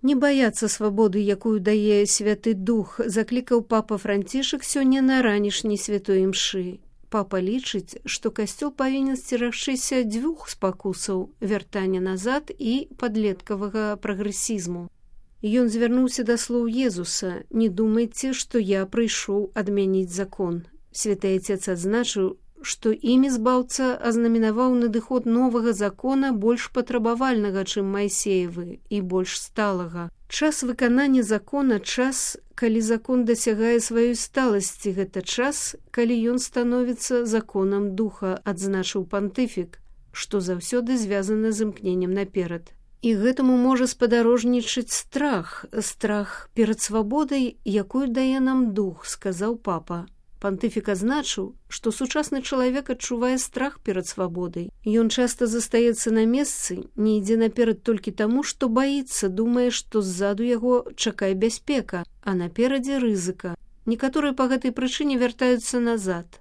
Не баяцца свабоды, якую дае Святы Дух, заклікаў папа Францішак сёння на ранішняй святой імшы. Папа лічыць, што касцёл павінен сцерагчыся дзвюх спакусаў – вяртання назад і падлеткавага прагрэсізму. Ён звярнуўся да слоў Езуса: «Не думайце, што я прыйшоў адмяніць закон». Святы Отец адзначыў, што імі збаўца азнаменаваў надыход новага закона больш патрабавальнага, чым Майсеевы, і больш сталага. Час выканання закона – час, калі закон дасягае сваёй сталасці, гэта час, калі ён становіцца законам духа, адзначыў пантыфік, што заўсёды звязана з імкненнем наперад. І гэтаму можа спадарожнічаць страх перад свабодай, якую дае нам дух, сказаў папа. Пантыфік адзначыў, што сучасны чалавек адчувае страх перад свабодай. Ён часта застаецца на месцы, не ідзе наперад толькі таму, што баіцца, думае, што ззаду яго чакае бяспека, а наперадзе рызыка. Некаторыя па гэтай прычыне вяртаюцца назад.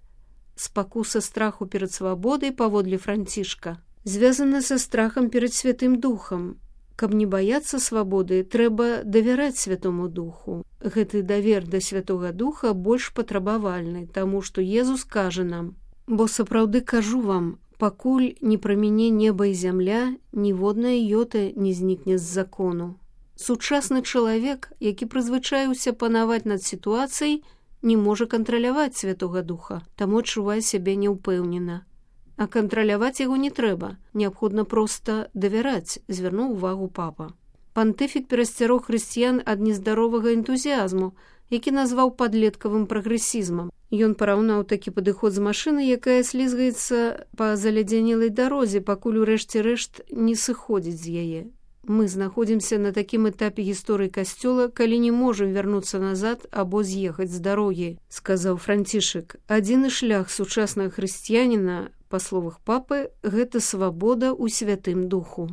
Спакуса страху перад свабодай, паводле Францішка, звязана са страхам перад Святым Духам. Каб не баяцца свабоды, трэба давяраць Святому Духу. Гэты давер да Святога Духа больш патрабавальны, таму што Езус кажа нам: «Бо сапраўды кажу вам, пакуль не праміне неба і зямля, ніводная йота не знікне з закону». Сучасны чалавек, які прызвычаіўся панаваць над сітуацыяй, не можа кантраляваць Святога Духа, таму адчувае сябе няўпэўнена. А кантраляваць яго не трэба, неабходна проста давяраць, звярнуў увагу папа. Пантыфік перасцярог хрысціян ад нездаровага энтузіязму, які назваў падлеткавым прагрэсізмам. Ён параўнаў такі падыход з машынай, якая слізгаецца па залядзянелай дарозе, пакуль у рэшце рэшт не сыходзіць з яе. Мы знаходзімся на такім этапе гісторыі касцёла, калі не можам вярнуцца назад або з'ехаць з дарогі, сказаў Францішак. Адзіны шлях сучаснага хрысціяніна, па словах папы, гэта свабода ў Святым Духу.